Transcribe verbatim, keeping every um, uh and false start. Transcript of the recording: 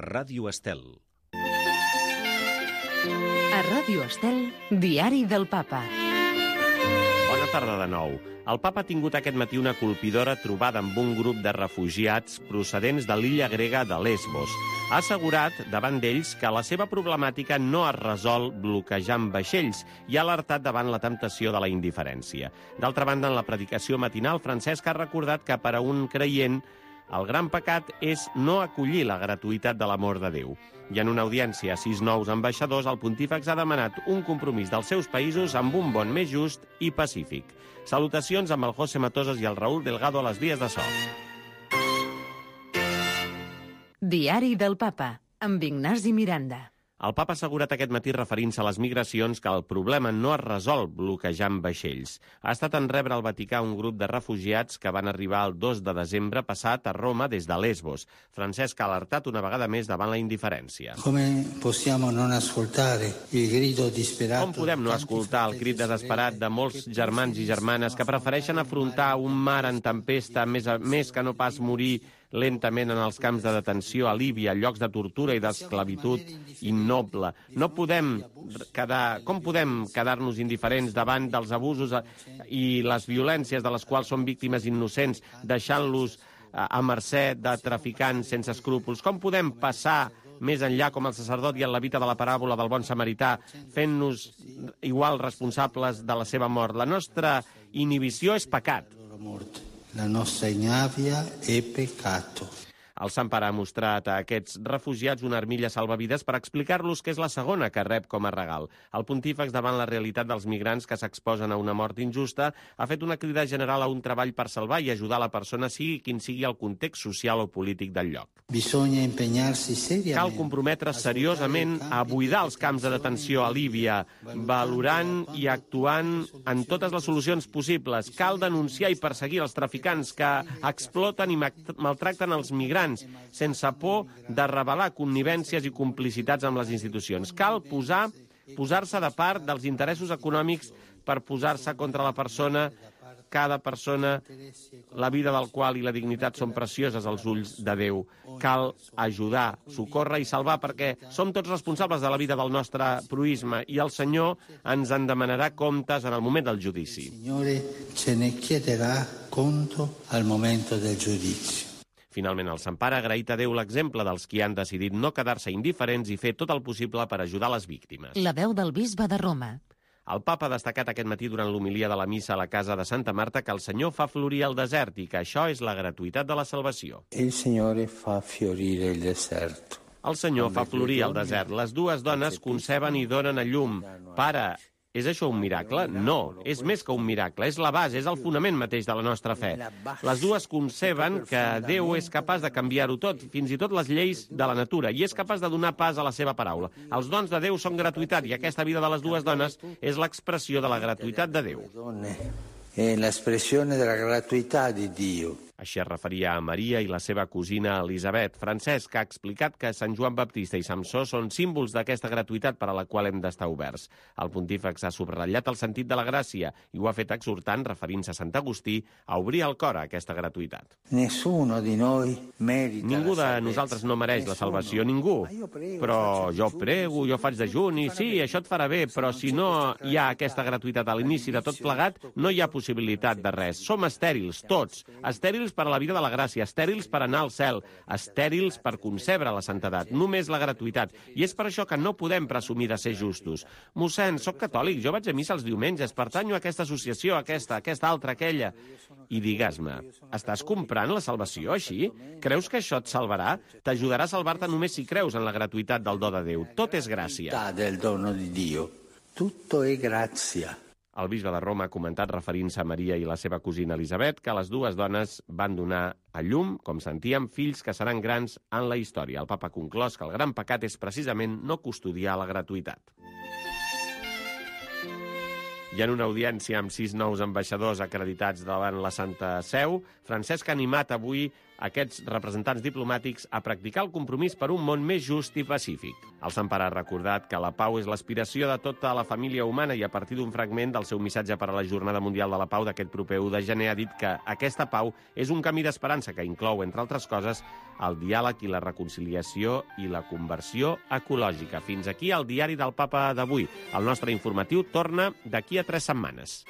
Ràdio Estel. A Ràdio Estel, Diari del Papa. Bona tarda de nou. El papa ha tingut aquest matí una colpidora trobada amb un grup de refugiats procedents de l'illa grega de Lesbos. Ha assegurat davant d'ells que la seva problemàtica no es resol bloquejant vaixells i ha alertat davant la temptació de la indiferència. D'altra banda, en la predicació matinal, Francesc ha recordat que per a un creient el gran pecat és no acollir la gratuïtat de l'amor de Déu. I en una audiència a sis nous ambaixadors, el pontífex ha demanat un compromís dels seus països amb un món més just i pacífic. Salutacions amb el José Matosas i el Raúl Delgado a les vies de so. Diari del Papa, amb Ignasi Miranda. El papa ha assegurat aquest matí, referint-se a les migracions, que el problema no es resol bloquejant vaixells. Ha estat en rebre al Vaticà un grup de refugiats que van arribar el dos de desembre passat a Roma des de Lesbos. Francesc ha alertat una vegada més davant la indiferència. Com podem no escoltar el crit desesperat de molts germans i germanes que prefereixen afrontar un mar en tempesta més, a, més que no pas morir lentament en els camps de detenció a Líbia, llocs de tortura i d'esclavitud innoble. No podem quedar, com podem quedar-nos indiferents davant dels abusos i les violències de les quals són víctimes innocents, deixant-los a mercè de traficants sense escrúpols? Com podem passar més enllà com el sacerdot i el levita de la paràbola del bon samarità, fent-nos igual responsables de la seva mort? La nostra inhibició és pecat. La nostra ignàvia è peccato. El Sant Pare ha mostrat a aquests refugiats una armilla salvavides per explicar-los que és la segona que rep com a regal. El pontífex, davant la realitat dels migrants que s'exposen a una mort injusta, ha fet una crida general a un treball per salvar i ajudar la persona, sigui quin sigui el context social o polític del lloc. Bisogna impegnarsi seriamente. Cal comprometre's seriosament a buidar els camps de detenció a Líbia, valorant i actuant en totes les solucions possibles. Cal denunciar i perseguir els traficants que exploten i maltracten els migrants, sense por de revelar connivències i complicitats amb les institucions. Cal posar, posar-se de part dels interessos econòmics per posar-se contra la persona, cada persona, la vida del qual i la dignitat són precioses als ulls de Déu. Cal ajudar, socórrer i salvar, perquè som tots responsables de la vida del nostre proïsme i el Senyor ens en demanarà comptes en el moment del judici. Il Signore ce ne chiederà conto al momento del giudizio. Finalment, el Sant Pare ha agraït a Déu l'exemple dels qui han decidit no quedar-se indiferents i fer tot el possible per ajudar les víctimes. La veu del bisbe de Roma. El papa ha destacat aquest matí durant l'homilia de la missa a la casa de Santa Marta que el Senyor fa florir el desert i que això és la gratuïtat de la salvació. Il Signore fa fiorire il deserto. El Senyor fa florir el desert. Les dues dones conceben i donen a llum. Pare, és això un miracle? No, és més que un miracle, és la base, és el fonament mateix de la nostra fe. Les dues conceben que Déu és capaç de canviar-ho tot, fins i tot les lleis de la natura, i és capaç de donar pas a la seva paraula. Els dons de Déu són gratuïtat, i aquesta vida de les dues dones és l'expressió de la gratuïtat de Déu. È l'espressione della gratuità di Dio. Així es referia a Maria i la seva cosina Elisabet. Francesc ha explicat que Sant Joan Baptista i Samsó són símbols d'aquesta gratuïtat per a la qual hem d'estar oberts. El pontífex ha subratllat el sentit de la gràcia i ho ha fet exhortant, referint-se a Sant Agustí, a obrir el cor a aquesta gratuïtat. Nessuno di noi merita. Ningú de nosaltres no mereix la salvació, ningú. Però jo prego, jo faig dejuni, sí, això et farà bé, però si no hi ha aquesta gratuïtat a l'inici de tot plegat, no hi ha possibilitat de res. Som estèrils, tots. Estèrils per a la vida de la gràcia, estèrils per anar al cel, estèrils per concebre la santedat, només la gratuïtat. I és per això que no podem presumir de ser justos. Mossèn, soc catòlic, jo vaig a missa els diumenges, pertanyo a aquesta associació, aquesta, aquesta altra, aquella. I digues-me, estàs comprant la salvació així? Creus que això et salvarà? T'ajudarà a salvar-te només si creus en la gratuïtat del do de Déu. Tot és gràcia. Del dono di Dio. Tutto è grazia. El bisbe de Roma ha comentat, referint-se a Maria i la seva cosina Elisabet, que les dues dones van donar a llum, com sentíem, fills que seran grans en la història. El papa ha conclòs que el gran pecat és precisament no custodiar la gratuïtat. I en una audiència amb sis nous ambaixadors acreditats davant la Santa Seu, Francesc ha animat avui aquests representants diplomàtics a practicar el compromís per un món més just i pacífic. El Sant Pare ha recordat que la pau és l'aspiració de tota la família humana i a partir d'un fragment del seu missatge per a la Jornada Mundial de la Pau d'aquest proper u de gener ha dit que aquesta pau és un camí d'esperança que inclou, entre altres coses, el diàleg i la reconciliació i la conversió ecològica. Fins aquí el diari del Papa d'avui. El nostre informatiu torna d'aquí a tres setmanes.